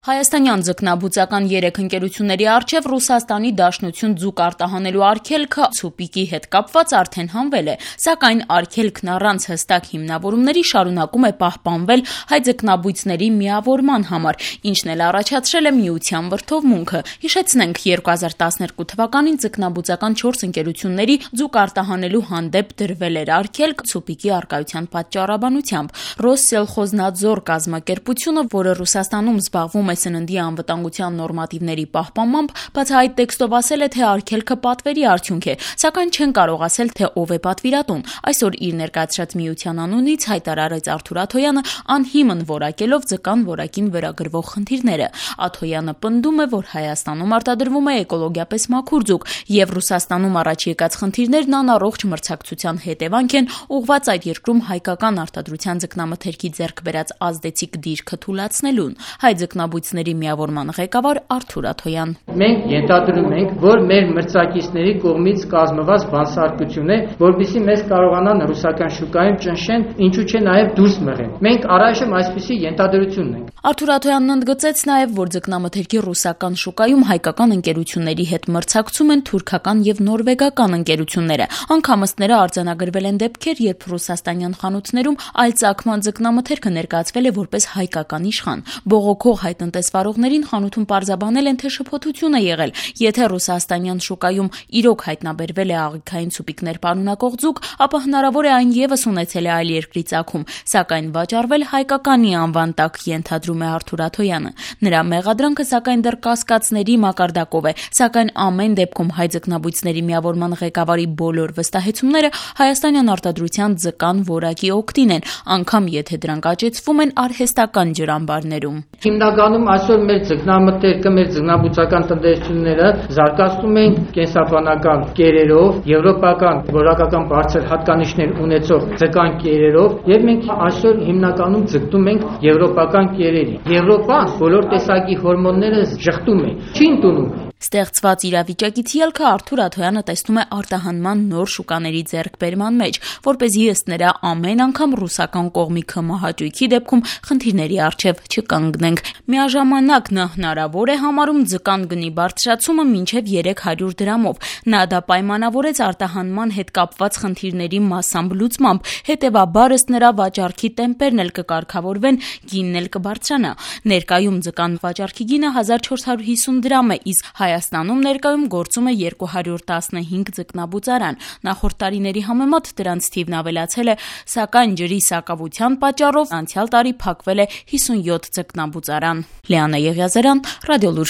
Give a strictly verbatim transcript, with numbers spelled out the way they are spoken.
Հայաստանյան ձկնաբուծական երեք ընկերությունների առջև Ռուսաստանի Դաշնություն ձուկ արտահանելու արգելքը ցուպիկի հետ կապված արդեն հանվել է, սակայն արգելքն առանց հստակ հիմնավորումների շարունակում է պահպանվել հայ ձկնաբույծների միավորման համար, ինչն էլ առաջացրել է միության վրդովմունքը։ Հիշեցնենք, երկու հազար տասներկու թվականին ձկնաբուծական չորս ընկերությունների ձուկ արտահանելու հանդեպ դրվել էր արգելք ցուպիկի առկայության պատճառաբանությամբ։ Ռոսսելխոզնադզոր կազմակերպությունը, որը Ռուսաստանում զբաղվում է սննդի անվտանգության նորմատիվների պահպանմամբ, բացահայտ տեքստով ասել է, թե արգելքը պատվերի արդյունք է, սակայն չեն կարող ասել, թե ով է պատվիրատուն։ Այսօր իր ներկայացրած միության անունից հայտարարեց Արթուր Աթոյանը, անհիմն որակելով ձկան որակին վերագրվող խնդիրները։ Աթոյանը պնդում է, որ Հայաստանում արտադրվում է էկոլոգիապես մաքուր ձուկ, եւ Ռուսաստանում առաջ եկած խնդիրներն անառողջ մրցակցության հետևանք են, ուղղված այդ երկրում հայկական արտադրության ձկնամթերքի ձեռք բերած ազդեցիկ դիրքը թուլացնելուն։ Հայ ձկնաբույծների միավորման ղեկավար Արթուր Աթոյան. Մենք ենթադրում ենք, որ մեր մրցակիցների կողմից կազմված բանսարկություն է, որպեսզի մեզ կարողանան ռուսական շուկայում ճնշեն, ինչու չէ նաև դուրս մղեն։ Մենք առայժմ այսպիսի ենթադրություն ունենք։ Արթուր Աթոյանն ընդգծեց նաև, որ ձկնամթերքի ռուսական շուկայում հայկական ընկերությունների հետ մրցակցում են թուրքական եւ նորվեգական ընկերությունները։ Անգամ ըստները արձանագրվել են դեպքեր, երբ ռուսաստանյան խանութներում այլ ծագման ձկնամթերքը ներկայացվել է որպես հայկական իշխան։ Բողոքող հայ տնտեսվարողներին խանութում պարզաբանել են, թե շփոթություն է եղել։ Եթե ռուսաստանյան շուկայում իրոք հայտնաբերվել է աղիքային ցուպիկներ պարունակող ձուկ, ապա հնարավոր է այն ևս ունեցել է այլ երկրի ծագում, սակայն վաճառվել հայկականի անվան տակ, ենթադրում է Արթուր Աթոյանը։ Նրա մեղադրանքը սակայն դեռ կասկածների մակարդակով է, սակայն ամեն դեպքում հայ ձկնաբույծների միավորման ղեկավարի բոլոր վստահեցումները հայաստանյան արտադրության ձկան որակի օգտին են, անգամ եթե դրանք աճեցվում են արհեստական ջրամբարներում։ Հիմնականում այսօր մեր ձկնամթերքը, մեր ձկնաբուծական տնտեսությունները զարգացնում են կենսաբանական կերերով, եվրոպական որակական բարձր հատկանիշներ ունեցող ձկան կերերով, եւ մենք այսօր հիմնականում ձգտում ենք եվրոպական կերերի։ Եվրոպան բոլոր տեսակի հորմոնները շղթում է, չի ընդունում։ Ստեղծված իրավիճակից ելքը Արթուր Աթոյանը տեսնում է արտահանման նոր շուկաների ձեռքբերման մեջ, որպեսզի ըստ նրա ամեն անգամ ռուսական կողմի քմահաճույքի դեպքում խնդիրների առջև չկանգնենք։ Միաժամանակ նա հնարավոր է համարում ձկան գնի բարձրացումը մինչև երեք հարյուր դրամով։ Նա դա պայմանավորեց արտահանման հետ կապված խնդիրների մասամբ լուծմամբ, հետևաբար ըստ նրա վաճառքի տեմպերն էլ կկարգավորվեն, գինն էլ կբարձրանա։ Ներկայում ձկան վաճառքի գինը հազար չորս հարյուր հիսուն դրամ է, իսկ Հայաստանում ներկայում գործում է երկու հարյուր տասնհինգ ձկնաբուծարան։ Նախորդ տարիների համեմատ դրանց թիվն ավելացել է, սակայն ջրի սակավության պատճառով անցյալ տարի փակվել է հիսունյոթ ձկնաբուծարան։ Լիանա Եղիազարյան, Ռադիոլուր։